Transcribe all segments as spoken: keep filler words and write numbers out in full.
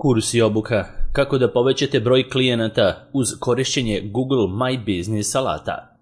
Kurs i obuka kako da povećate broj klijenata uz korišćenje Google My Business alata.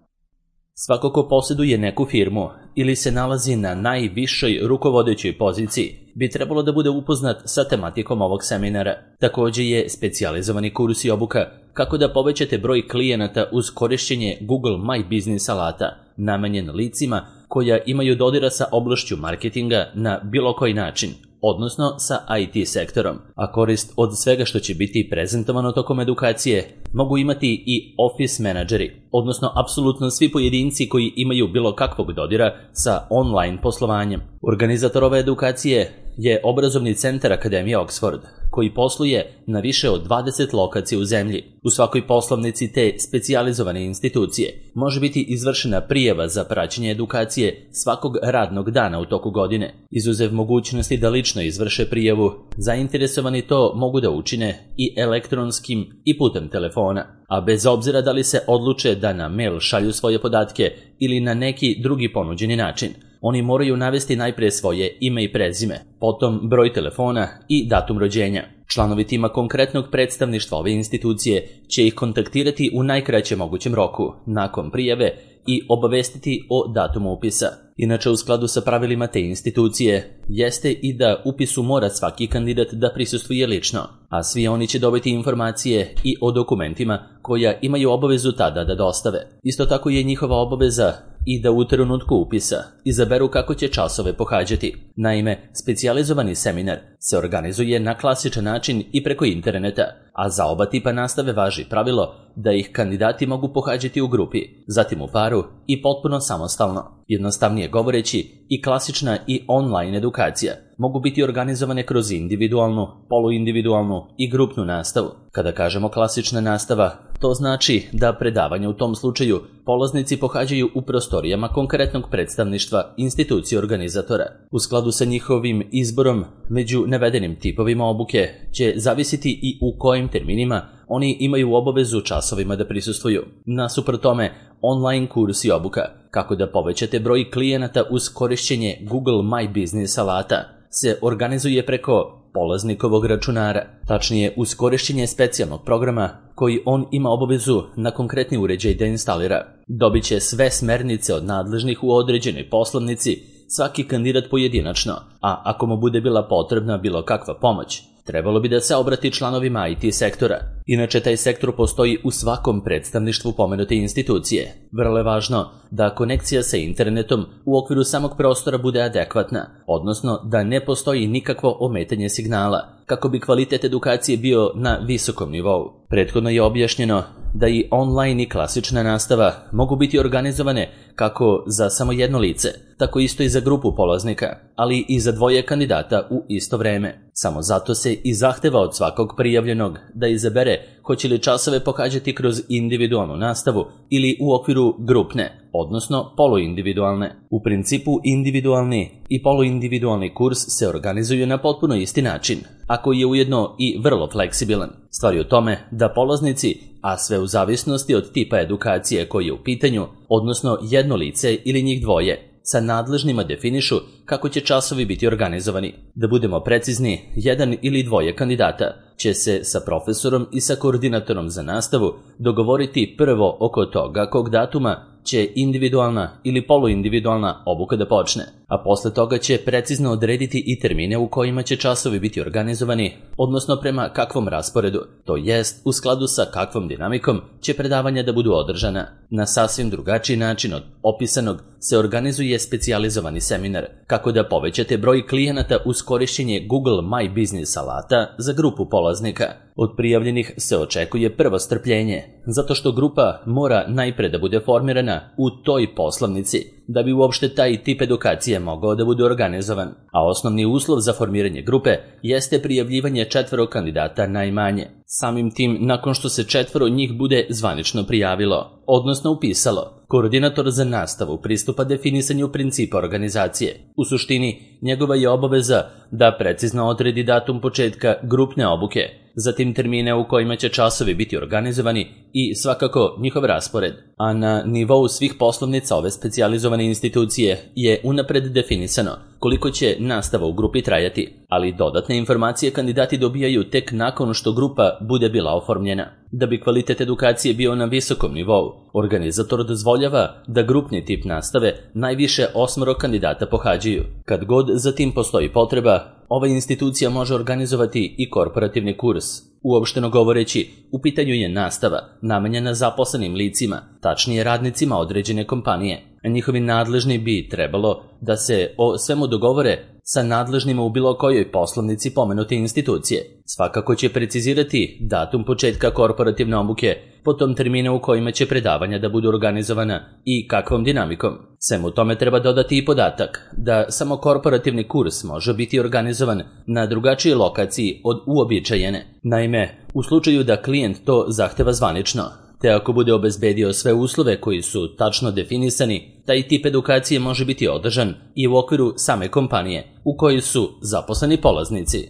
Svako ko posjeduje neku firmu ili se nalazi na najvišoj rukovodećoj poziciji bi trebalo da bude upoznat sa tematikom ovog seminara. Također je specijalizovani kurs i obuka kako da povećate broj klijenata uz korišćenje Google My Business alata, namenjen licima koja imaju dodira sa oblašću marketinga na bilo koji način, odnosno sa I T sektorom, a korist od svega što će biti prezentovano tokom edukacije mogu imati i office menadžeri, odnosno apsolutno svi pojedinci koji imaju bilo kakvog dodira sa online poslovanjem. Organizator ove edukacije je obrazovni centar Akademije Oxford, koji posluje na više od dvadeset lokacija u zemlji. U svakoj poslovnici te specijalizovane institucije može biti izvršena prijava za praćenje edukacije svakog radnog dana u toku godine. Izuzev mogućnosti da lično izvrše prijavu, zainteresovani to mogu da učine i elektronskim i putem telefona, a bez obzira da li se odluče da na mail šalju svoje podatke ili na neki drugi ponuđeni način. Oni moraju navesti najprije svoje ime i prezime, potom broj telefona i datum rođenja. Članovi tima konkretnog predstavništva ove institucije će ih kontaktirati u najkraćem mogućem roku, nakon prijave, i obavestiti o datumu upisa. Inače, u skladu sa pravilima te institucije, jeste i da upisu mora svaki kandidat da prisustvuje lično, a svi oni će dobiti informacije i o dokumentima koja imaju obavezu tada da dostave. Isto tako je njihova obaveza i da u trenutku upisa izaberu kako će časove pohađati. Naime, specijalizovani seminar se organizuje na klasičan način i preko interneta, a za oba tipa nastave važi pravilo da ih kandidati mogu pohađati u grupi, zatim u paru i potpuno samostalno. Jednostavnije govoreći, i klasična i online edukacija mogu biti organizovane kroz individualnu, poluindividualnu i grupnu nastavu. Kada kažemo klasična nastava, to znači da predavanja u tom slučaju polaznici pohađaju u prostorijama konkretnog predstavništva institucije organizatora. U skladu sa njihovim izborom među navedenim tipovima obuke će zavisiti i u kojim terminima oni imaju obavezu časovima da prisustvuju. Nasuprot tome, online kurs i obuka kako da povećate broj klijenata uz korišćenje Google My Business alata se organizuje preko polaznikovog računara, tačnije uz korišćenje specijalnog programa koji on ima obavezu na konkretni uređaj da instalira. Dobit će sve smernice od nadležnih u određenoj poslovnici, svaki kandidat pojedinačno, a ako mu bude bila potrebna bilo kakva pomoć, trebalo bi da se obrati članovima I T sektora. Inače, taj sektor postoji u svakom predstavništvu pomenute institucije. Vrlo je važno da konekcija sa internetom u okviru samog prostora bude adekvatna, odnosno da ne postoji nikakvo ometanje signala, kako bi kvalitet edukacije bio na visokom nivou. Prethodno je objašnjeno da i online i klasična nastava mogu biti organizovane kako za samo jedno lice, tako isto i za grupu polaznika, ali i za dvoje kandidata u isto vreme. Samo zato se i zahteva od svakog prijavljenog da izabere hoće li časove pohađati kroz individualnu nastavu ili u okviru grupne, odnosno poluindividualne. U principu individualni i poluindividualni kurs se organizuju na potpuno isti način, a koji je ujedno i vrlo fleksibilan. Stvar je u tome da polaznici, a sve u zavisnosti od tipa edukacije koji je u pitanju, odnosno jedno lice ili njih dvoje, sa nadležnima definišu kako će časovi biti organizovani. Da budemo precizni, jedan ili dvoje kandidata će se sa profesorom i sa koordinatorom za nastavu dogovoriti prvo oko toga kog datuma će individualna ili poluindividualna obuka da počne, a posle toga će precizno odrediti i termine u kojima će časovi biti organizovani, odnosno prema kakvom rasporedu, to jest u skladu sa kakvom dinamikom će predavanja da budu održana. Na sasvim drugačiji način od opisanog se organizuje specijalizovani seminar kako da povećate broj klijenata uz korišćenje Google My Business alata za grupu polaznika. Od prijavljenih se očekuje prvo strpljenje, zato što grupa mora najpre da bude formirana u toj poslovnici, da bi uopšte taj tip edukacije mogao da bude organizovan. A osnovni uslov za formiranje grupe jeste prijavljivanje četvoro kandidata najmanje. Samim tim, nakon što se četvoro njih bude zvanično prijavilo, odnosno upisalo, koordinator za nastavu pristupa definisanju principa organizacije. U suštini, njegova je obaveza da precizno odredi datum početka grupne obuke, zatim termine u kojima će časovi biti organizovani i svakako njihov raspored. a na nivou svih poslovnica ove specijalizovane institucije je unapred definisano koliko će nastava u grupi trajati, ali dodatne informacije kandidati dobijaju tek nakon što grupa bude bila oformljena. Da bi kvalitet edukacije bio na visokom nivou, organizator dozvoljava da grupni tip nastave najviše osmoro kandidata pohađaju. Kad god za tim postoji potreba, ova institucija može organizovati i korporativni kurs. Uopšteno govoreći, u pitanju je nastava namenjena zaposlenim licima, tačnije radnicima određene kompanije. Njihovi nadležni bi trebalo da se o svemu dogovore sa nadležnima u bilo kojoj poslovnici pomenute institucije. Svakako će precizirati datum početka korporativne obuke, potom termine u kojima će predavanja da budu organizovana i kakvom dinamikom. Svemu tome treba dodati i podatak da samo korporativni kurs može biti organizovan na drugačijoj lokaciji od uobičajene. Naime, u slučaju da klijent to zahteva zvanično, te ako bude obezbedio sve uslove koji su tačno definisani, taj tip edukacije može biti održan i u okviru same kompanije u kojoj su zaposleni polaznici.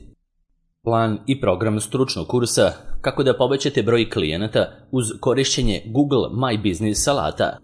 Plan i program stručnog kursa kako da povećate broj klijenata uz korišćenje Google My Business alata.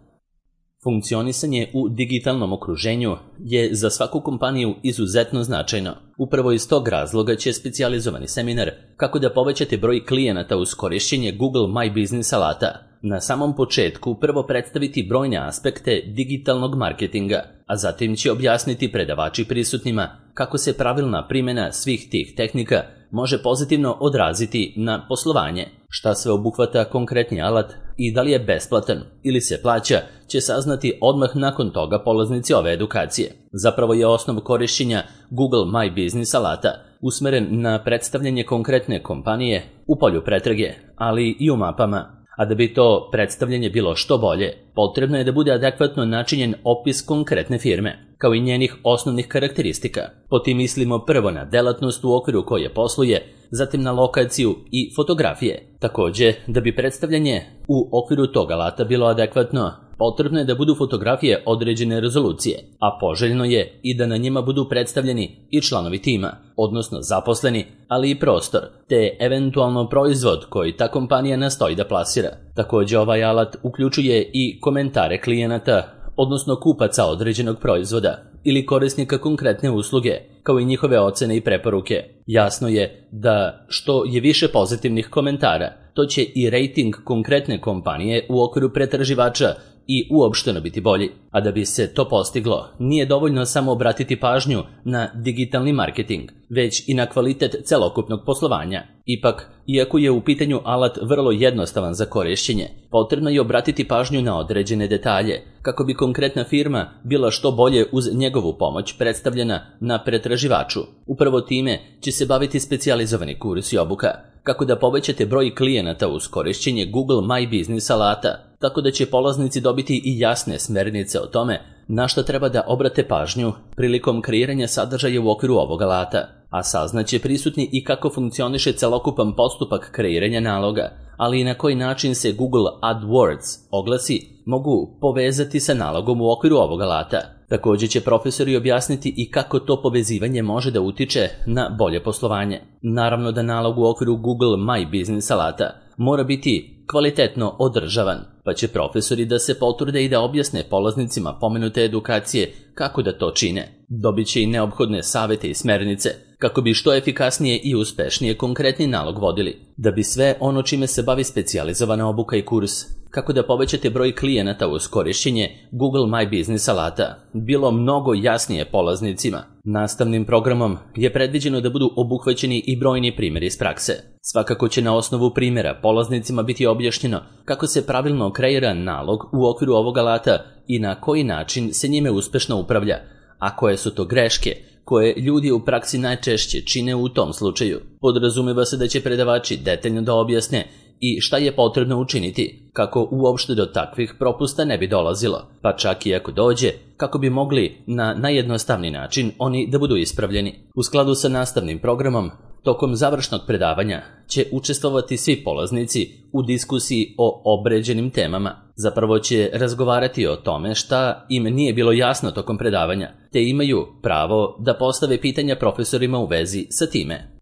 Funkcionisanje u digitalnom okruženju je za svaku kompaniju izuzetno značajno. Upravo iz tog razloga će specijalizovani seminar kako da povećate broj klijenata uz korišćenje Google My Business alata na samom početku prvo predstaviti brojne aspekte digitalnog marketinga, a zatim će objasniti predavači prisutnima kako se pravilna primjena svih tih tehnika može pozitivno odraziti na poslovanje. Šta sve obuhvata konkretni alat i da li je besplatan ili se plaća će saznati odmah nakon toga polaznici ove edukacije. Zapravo je osnov korišćenja Google My Business alata usmeren na predstavljanje konkretne kompanije u polju pretrage, ali i u mapama. A da bi to predstavljanje bilo što bolje, potrebno je da bude adekvatno načinjen opis konkretne firme, kao i njenih osnovnih karakteristika. Po tim mislimo prvo na delatnost u okviru koje posluje, zatim na lokaciju i fotografije. Takođe, da bi predstavljanje u okviru tog alata bilo adekvatno, potrebno je da budu fotografije određene rezolucije, a poželjno je i da na njima budu predstavljeni i članovi tima, odnosno zaposleni, ali i prostor, te eventualno proizvod koji ta kompanija nastoji da plasira. Takođe, ovaj alat uključuje i komentare klijenata, odnosno kupaca određenog proizvoda ili korisnika konkretne usluge, kao i njihove ocene i preporuke. Jasno je da što je više pozitivnih komentara, to će i rejting konkretne kompanije u okviru pretraživača i uopšteno biti bolji. A da bi se to postiglo, nije dovoljno samo obratiti pažnju na digitalni marketing, već i na kvalitet celokupnog poslovanja. Ipak, iako je u pitanju alat vrlo jednostavan za korišćenje, potrebno je obratiti pažnju na određene detalje, kako bi konkretna firma bila što bolje uz njegovu pomoć predstavljena na pretraživaču. Upravo time će se baviti specijalizovani kurs i obuka, kako da povećate broj klijenata uz korišćenje Google My Business alata, tako da će polaznici dobiti i jasne smernice o tome na što treba da obrate pažnju prilikom kreiranja sadržaja u okviru ovog alata, a saznaće prisutni i kako funkcioniše celokupan postupak kreiranja naloga, ali i na koji način se Google AdWords oglasi mogu povezati sa nalogom u okviru ovog alata. Takođe će profesori objasniti i kako to povezivanje može da utiče na bolje poslovanje. Naravno da nalog u okviru Google My Business alata mora biti kvalitetno održavan, pa će profesori da se potrude i da objasne polaznicima pomenute edukacije kako da to čine. Dobit će i neophodne savete i smernice kako bi što efikasnije i uspešnije konkretni nalog vodili. Da bi sve ono čime se bavi specijalizovana obuka i kurs, kako da povećate broj klijenata uz korišćenje Google My Business alata, bilo mnogo jasnije polaznicima. Nastavnim programom je predviđeno da budu obuhvaćeni i brojni primjeri iz prakse. Svakako će na osnovu primjera polaznicima biti objašnjeno kako se pravilno kreira nalog u okviru ovog alata i na koji način se njime uspešno upravlja, a koje su to greške koje ljudi u praksi najčešće čine u tom slučaju. Podrazumeva se da će predavači detaljno da objasne i šta je potrebno učiniti kako uopšte do takvih propusta ne bi dolazilo, pa čak i ako dođe, kako bi mogli na najjednostavniji način oni da budu ispravljeni. U skladu sa nastavnim programom, tokom završnog predavanja će učestvovati svi polaznici u diskusiji o obređenim temama. Zapravo će razgovarati o tome šta im nije bilo jasno tokom predavanja, te imaju pravo da postave pitanja profesorima u vezi sa time.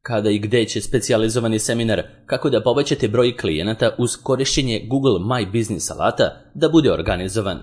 Kada i gde će specijalizovani seminar kako da povećate broj klijenata uz korišćenje Google My Business alata da bude organizovan.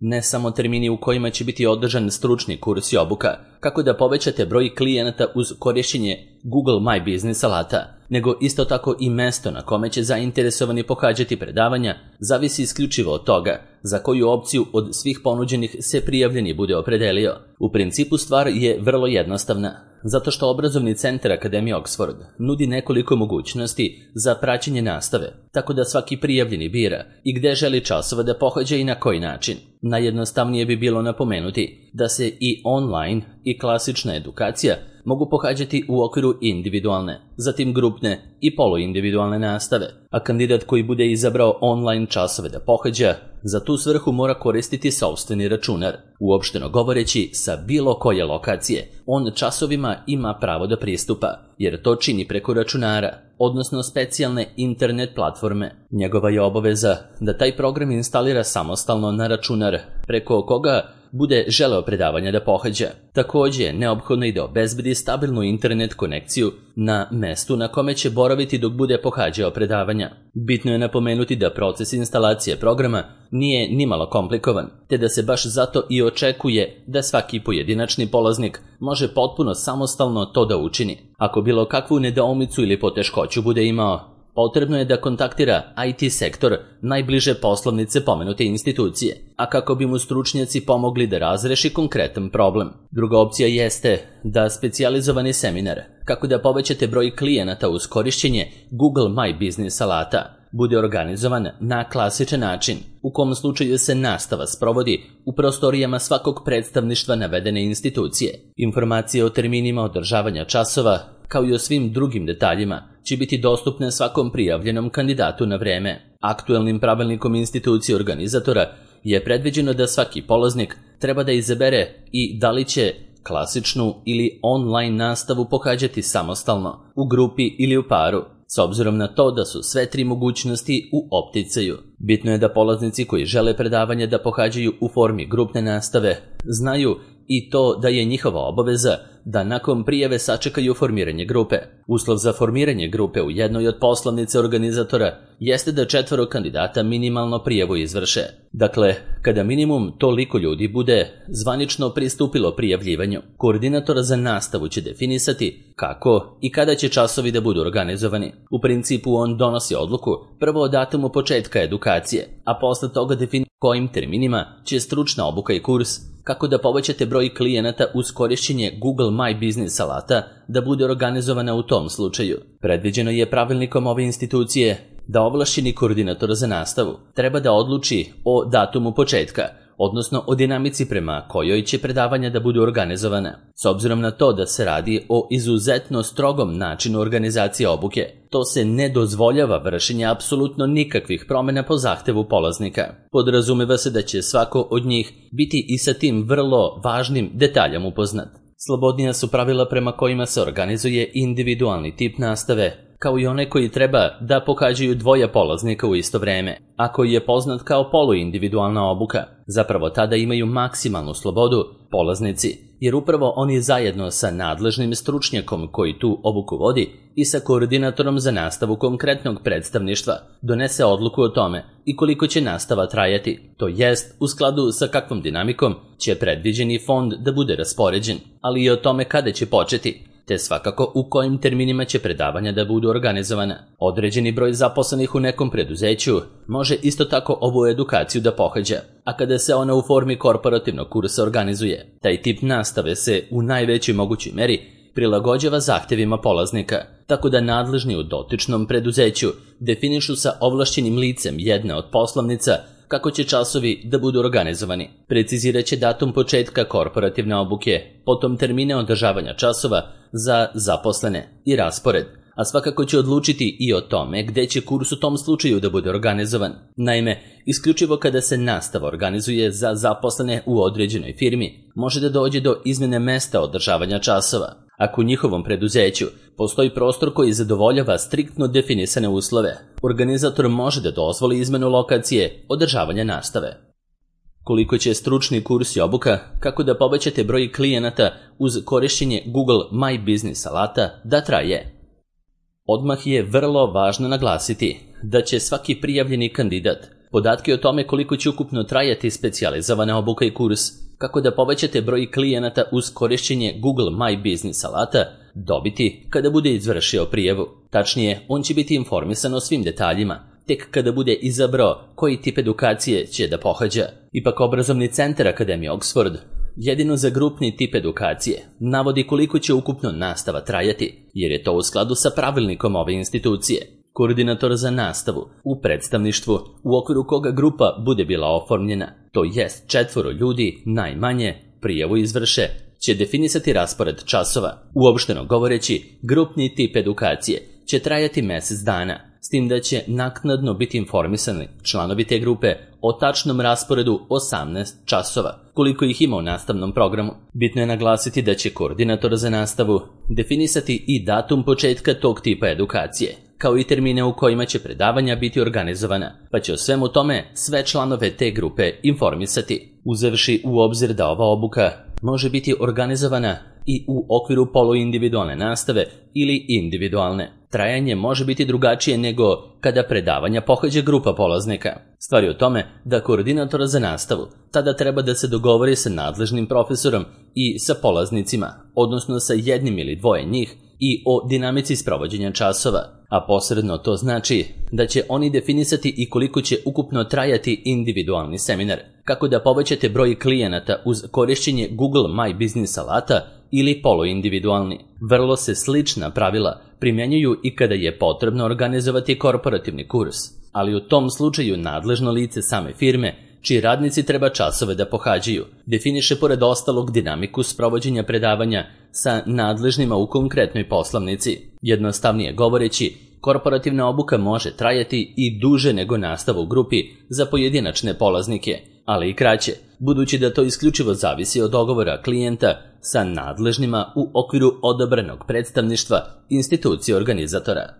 Ne samo termini u kojima će biti održan stručni kurs i obuka kako da povećate broj klijenata uz korišćenje Google My Business alata, nego isto tako i mesto na kome će zainteresovani pohađati predavanja zavisi isključivo od toga za koju opciju od svih ponuđenih se prijavljeni bude opredelio. U principu stvar je vrlo jednostavna, zato što obrazovni centar Akademije Oxford nudi nekoliko mogućnosti za praćenje nastave, tako da svaki prijavljeni bira i gde želi časova da pohađa i na koji način. Najjednostavnije bi bilo napomenuti da se i online i klasična edukacija mogu pohađati u okviru individualne, zatim grupne i poluindividualne nastave, a kandidat koji bude izabrao online časove da pohađa, za tu svrhu mora koristiti sopstveni računar. Uopšteno govoreći, sa bilo koje lokacije, on časovima ima pravo da pristupa, jer to čini preko računara, odnosno specijalne internet platforme. Njegova je obaveza da taj program instalira samostalno na računar, preko koga bude želeo predavanja da pohađa. Takođe, neophodno je da obezbedi stabilnu internet konekciju na mestu na kome će boraviti dok bude pohađao predavanja. Bitno je napomenuti da proces instalacije programa nije nimalo komplikovan, te da se baš zato i očekuje da svaki pojedinačni polaznik može potpuno samostalno to da učini. Ako bilo kakvu nedoumicu ili poteškoću bude imao, potrebno je da kontaktira I T sektor najbliže poslovnice pomenute institucije, a kako bi mu stručnjaci pomogli da razreši konkretan problem. Druga opcija jeste da specijalizovani seminar kako da povećate broj klijenata uz korišćenje Google My Business alata bude organizovan na klasičan način, u kom slučaju se nastava sprovodi u prostorijama svakog predstavništva navedene institucije. Informacije o terminima održavanja časova, kao i o svim drugim detaljima, će biti dostupne svakom prijavljenom kandidatu na vreme. Aktuelnim pravilnikom institucije organizatora je predviđeno da svaki polaznik treba da izabere i da li će klasičnu ili online nastavu pohađati samostalno, u grupi ili u paru, s obzirom na to da su sve tri mogućnosti u opticaju. Bitno je da polaznici koji žele predavanje da pohađaju u formi grupne nastave znaju i to da je njihova obaveza da nakon prijave sačekaju formiranje grupe. Uslov za formiranje grupe u jednoj od poslovnice organizatora jeste da četvoro kandidata minimalno prijavu izvrše. Dakle, kada minimum toliko ljudi bude zvanično pristupilo prijavljivanju, koordinator za nastavu će definisati kako i kada će časovi da budu organizovani. U principu on donosi odluku prvo o datumu početka edukacije, a posle toga definiše kojim terminima će stručna obuka i kurs kako da povećate broj klijenata uz korišćenje Google My Business alata da bude organizovana u tom slučaju. Predviđeno je pravilnikom ove institucije da ovlašćeni koordinator za nastavu treba da odluči o datumu početka, odnosno o dinamici prema kojoj će predavanja da budu organizovana. S obzirom na to da se radi o izuzetno strogom načinu organizacije obuke, to se ne dozvoljava vršenje apsolutno nikakvih promjena po zahtevu polaznika. Podrazumeva se da će svako od njih biti i sa tim vrlo važnim detaljom upoznat. Slobodnija su pravila prema kojima se organizuje individualni tip nastave, kao i one koji treba da pohađaju dvoje polaznika u isto vreme, a koji je poznat kao poluindividualna obuka. Zapravo tada imaju maksimalnu slobodu polaznici, jer upravo oni zajedno sa nadležnim stručnjakom koji tu obuku vodi i sa koordinatorom za nastavu konkretnog predstavništva donese odluku o tome i koliko će nastava trajati, to jest u skladu sa kakvom dinamikom će predviđeni fond da bude raspoređen, ali i o tome kada će početi, te svakako u kojim terminima će predavanja da budu organizovana. Određeni broj zaposlenih u nekom preduzeću može isto tako ovu edukaciju da pohađa, a kada se ona u formi korporativnog kursa organizuje, taj tip nastave se u najvećoj mogućoj meri prilagođava zahtevima polaznika, tako da nadležni u dotičnom preduzeću definišu sa ovlašćenim licem jedne od poslovnica kako će časovi da budu organizovani. Precizirat će datum početka korporativne obuke, potom termine održavanja časova za zaposlene i raspored, a svakako će odlučiti i o tome gde će kurs u tom slučaju da bude organizovan. Naime, isključivo kada se nastava organizuje za zaposlene u određenoj firmi, može da dođe do izmjene mesta održavanja časova. Ako u njihovom preduzeću postoji prostor koji zadovoljava striktno definisane uslove, organizator može da dozvoli izmenu lokacije održavanja nastave. Koliko će stručni kurs i obuka kako da povećate broj klijenata uz korišćenje Google My Business alata da traje? Odmah je vrlo važno naglasiti da će svaki prijavljeni kandidat podatke o tome koliko će ukupno trajati specijalizovana obuka i kurs kako da povećate broj klijenata uz korišćenje Google My Business alata dobiti kada bude izvršio prijavu. Tačnije, on će biti informisan o svim detaljima tek kada bude izabrao koji tip edukacije će da pohađa. Ipak obrazovni centar Akademije Oxford jedino za grupni tip edukacije navodi koliko će ukupno nastava trajati, jer je to u skladu sa pravilnikom ove institucije. Koordinator za nastavu u predstavništvu u okviru koga grupa bude bila oformljena, to jest četvoro ljudi najmanje, prijavu izvrše, će definisati raspored časova. Uopšteno govoreći, grupni tip edukacije će trajati mjesec dana, s tim da će naknadno biti informisani članovi te grupe o tačnom rasporedu osamnaest časova, koliko ih ima u nastavnom programu. Bitno je naglasiti da će koordinator za nastavu definisati i datum početka tog tipa edukacije, kao i termine u kojima će predavanja biti organizovana, pa će o svemu tome sve članove te grupe informisati. Uzevši u obzir da ova obuka može biti organizovana i u okviru poluindividualne nastave ili individualne. Trajanje može biti drugačije nego kada predavanja pohađa grupa polaznika. Stvar je u tome da koordinator za nastavu tada treba da se dogovori sa nadležnim profesorom i sa polaznicima, odnosno sa jednim ili dvoje njih, i o dinamici sprovođenja časova, a posredno to znači da će oni definisati i koliko će ukupno trajati individualni seminar, kako da povećate broj klijenata uz korišćenje Google My Business alata ili poluindividualni. Vrlo se slična pravila primjenjuju i kada je potrebno organizovati korporativni kurs, ali u tom slučaju nadležno lice same firme čiji radnici treba časove da pohađaju, definiše pored ostalog dinamiku sprovođenja predavanja sa nadležnima u konkretnoj poslovnici. Jednostavnije govoreći, korporativna obuka može trajati i duže nego nastava u grupi za pojedinačne polaznike, ali i kraće, budući da to isključivo zavisi od dogovora klijenta sa nadležnima u okviru odobrenog predstavništva institucije organizatora.